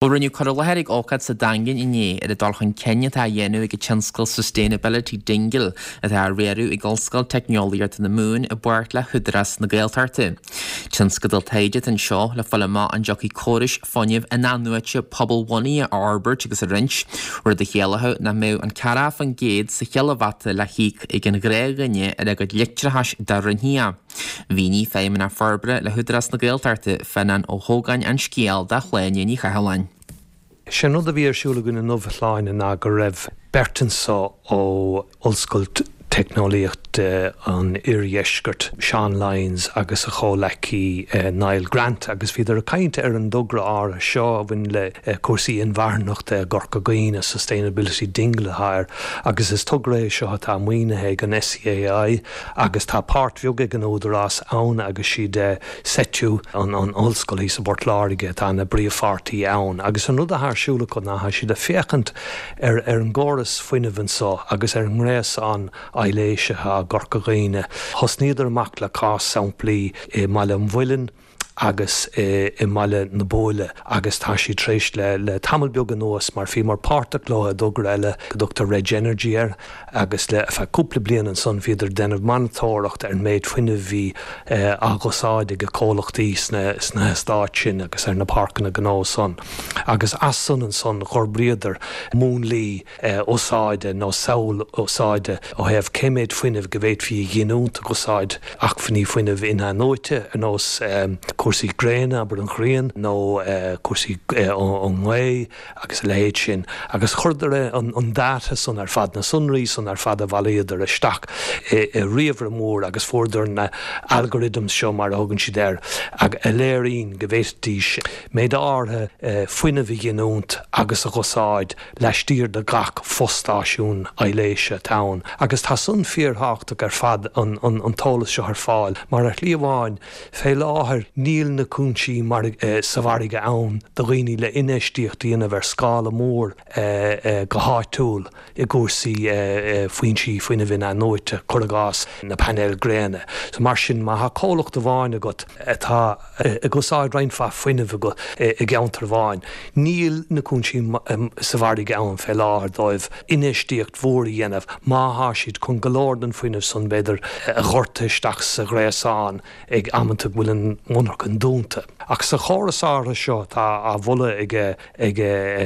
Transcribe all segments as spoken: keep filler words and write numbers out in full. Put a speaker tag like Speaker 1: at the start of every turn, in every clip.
Speaker 1: Bhuel, rinneadh cur i láthair ag ócáid sa Daingean inné ar an dul chun cinn atá á dhéanamh ag an tionscal Sustainability Dingle atá á riaradh ag Ollscoil Teicneolaíochta na Mumhan i bpáirt le hÚdarás na Gaeltachta. Tionscadal taighde atá anseo le fáil amach an dtiocfaidh córais fuinnimh inathnuaite pobalbhunaithe a fhorbairt agus a roinnt, rud a chiallódh nach mbeadh an ceathracha faoin gcéad sa chileavata le híoc ag an ghnáthdhuine ar a gcuid leictreachais dá roinnfí é. Mhínigh Feidhmeannach Forbartha le hÚdarás na Gaeltachta Fionán Ó hÓgáin an scéal do Shláine Ní Chathalláin.
Speaker 2: Sin rud a bhí ar siúl againn inniu a Shláine ná go raibh beirt anseo ó Ollscoil Teicneolaíochta an Iardheiscirt Seán Lyons agus a chomhleacaí Niall Grant agus bhíodar ag caint ar an dtogra áirithe seo a bhain le cúrsaí inmharthanachta i gCorca Dhuibhne Sustainability Dingle air agus is togra é seo atá maoinithe ag an SEAI agus tá páirt bheag ag an Údarás ann agus siad SETU an an ollscoil sa Phort Láirge atá ina bpríomhpháirtí ann agus an rud atá ar siúl acu ná siad ag féachaint ar ar an gcóras fuinnimh anseo agus ar an ngréasán aibhléise i gCorca Dhuibhne. Thosnaíodar amach le cás samplaí i mBaile an Mhuilinn agus i mBaile na Bóile agus tá sí tréis le le tamall beag anuas mar bhíomar páirteach leo i dtogra eile go dtugtar Reg Energy air agus le feadh cúpla bliain ansan bhíodar ag déanamh monatóireacht ar an méid fuinnimh bhí á úsáid ag comhlachtaí sna sna heastáit sin agus ar na páirceanna gnó san. Agus as san ansan d'fhorbraíodar múnlaí úsáide nó samhail úsáide ó thaobh cé méid fuinnimh go bhféadfaí a ghiniúint ag úsáid acmhainní fuinnimh inathnuaite ar nós cúrsaí gréine abair an ghrian nó cúrsaí ón ngaoth agus a leithéid sin, agus chuireadar an, an data san ar fad na sonraí san ar fad a bhailíodar isteach i, i ríomhaire mór agus fuaireadar na algorithms seo mar a thugann siad air ag a léiríonn go bhféadfaidís méid áirithe fuinnimh a ghiniúint agus a úsáid laistiar de gach fostáisiún aibhléise atá ann. Agus tá san fíorthábhachtach ar fad an, an, an t-eolas seo ar fáil, mar ar shlí amháin fé láthair níl na cúinsí mar eh, sa mhargadh ann do dhaoine le infheistíocht a dhéanamh ar scála mór eh, eh, go háitiúil i gcúrsaí eh, eh, foinsí fuinnimh inathnuaite cuir i gcás na painéil gréine. So mar sin má tá comhlacht amháin agat atá ag úsáid roinnt mhaith fuinnimh go i gceantar amháin. Níl na cúinsí sa mhargadh ann fé láthair dóibh infheistíocht mhór a dhéanamh má tá siad chun go leor den fuinneamh san b'fhéidir a dhoirteadh isteach sa ghréasán ag amanta go bhfuil an mhonarcha dúnta. Ach sa chóras áirithe seo tá á mholadh ag ag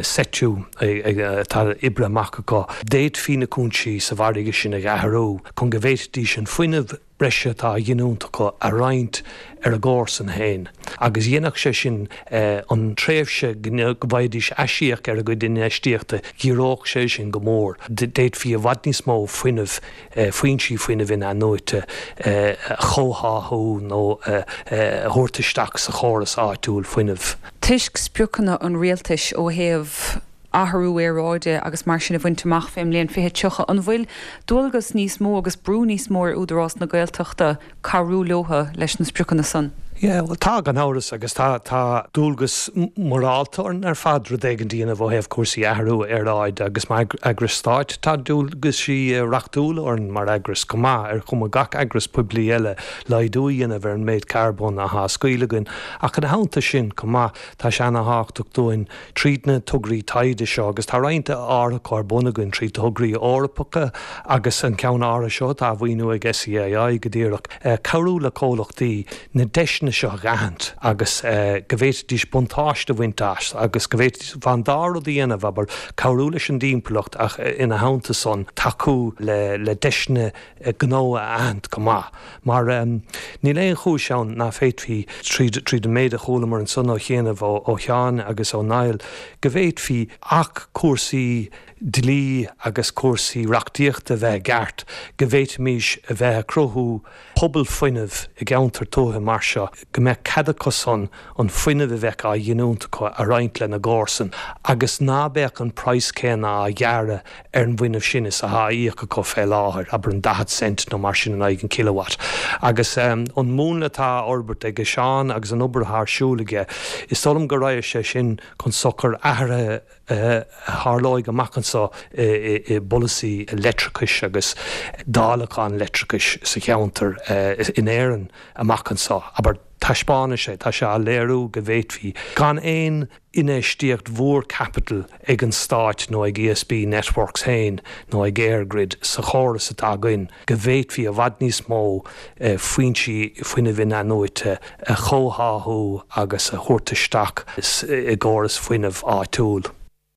Speaker 2: SETU atá oibrithe amach acu. D'fhéadfaí na cúinsí sa mhargadh sin a athrú chun go bhféadfaidís an fuinneamh breise atá á ghiniúint acu a roinnt ar a gcomharsain féin. Agus dhéanfadh sé sin an tréimhse go bhfaighidís aisíoc ar a gcuid infheistíochta ghiorródh sé sin go mór. D'fhéadfaí i bhfad níos mó fuinneamh foinsí fuinnimh inathnuaite a chomhtháthú nó a thabhairt isteach sa chóras áitiúil fuinnimh.
Speaker 3: Toisc spriocanna an rialtais ó thaobh athrú aeráide agus mar sin a bhaint amach fén mbliain fiche tríocha an bhfuil dualgas níos mó agus brú níos mó ar Údarás na Gaeltachta cabhrú leo leis na spriocanna san.
Speaker 2: Yeah, well tá gan amhras agus tá tá dualgas morálta orainn ar fad rud éigin a dhéanamh ó thaobh cúrsaí athrú aeráide agus mar eagras stáit tá dualgaisí reachtúla orainn mar eagras go maith ar chuma gach eagras poiblí eile laghdú a dhéanamh ar an méid carbón atá á scaoileadh againn ach ina theannta sin go maith tá sé an-thábhachtach dúinn tríd na tograí taighde seo agus tá roinnt áirithe ar bun againn trí tograí Eorpacha agus an ceann áirithe seo tá á mhaoiniú ag SEAI go díreach cabhrú le comhlachtaí na deiseanna seo a aithint agus go bhféadfaidís buntáiste a bhaint as agus go bhféadfaidís an dá rud a dhéanamh abair cabhrú leis an dtimpeallacht ach ina theannta san tacú le le deiseanna gnó a aithint go maith. Mar um, níl aon chúis ann nach bhféadfaí tríd tríd an méid a chualamar ansan ó chianaibh ó, ó Sheán agus ó Niall, go bhféadfaí ach cúrsaí dlí agus cúrsaí reachtaíochta bheith ceart, go bhféadfaimis a bheith ag cruthú pobal fuinnimh i gceantar tuaithe mar seo, go mbeadh cead acu san an fuinneamh a bheadh á ghiniúint acu a roinnt lena gcomharsain, agus ná beadh an praghas céanna á ghearradh ar an bhfuinneamh sin is atá á íoc acu fé láthair, abair an daichead cent nó mar sin in aghaidh an kilowatt. Agus um, an múnla atá á fhorbairt ag Seán agus an obair atá ar siúl aige, is dóigh liom go raibh sé sin chun sochar athruithe a tharlóidh amach anseo i bpolasaí leictreachais agus dáileachán leictreachais sa cheantar in Éirinn amach anseo, abair Taispeánann sé tá sé á léiriú go bhféadfaí gan aon infheistíocht mhór caipitil ag an stát nó ag ESB Networks féin nó ag EirGrid sa chóras atá againn go bhféadfaí i bhfad níos mó eh, foinsí fuinnimh inathnuaite a chomhtháthú agus a thabhairt isteach i gcóras fuinnimh áitiúil.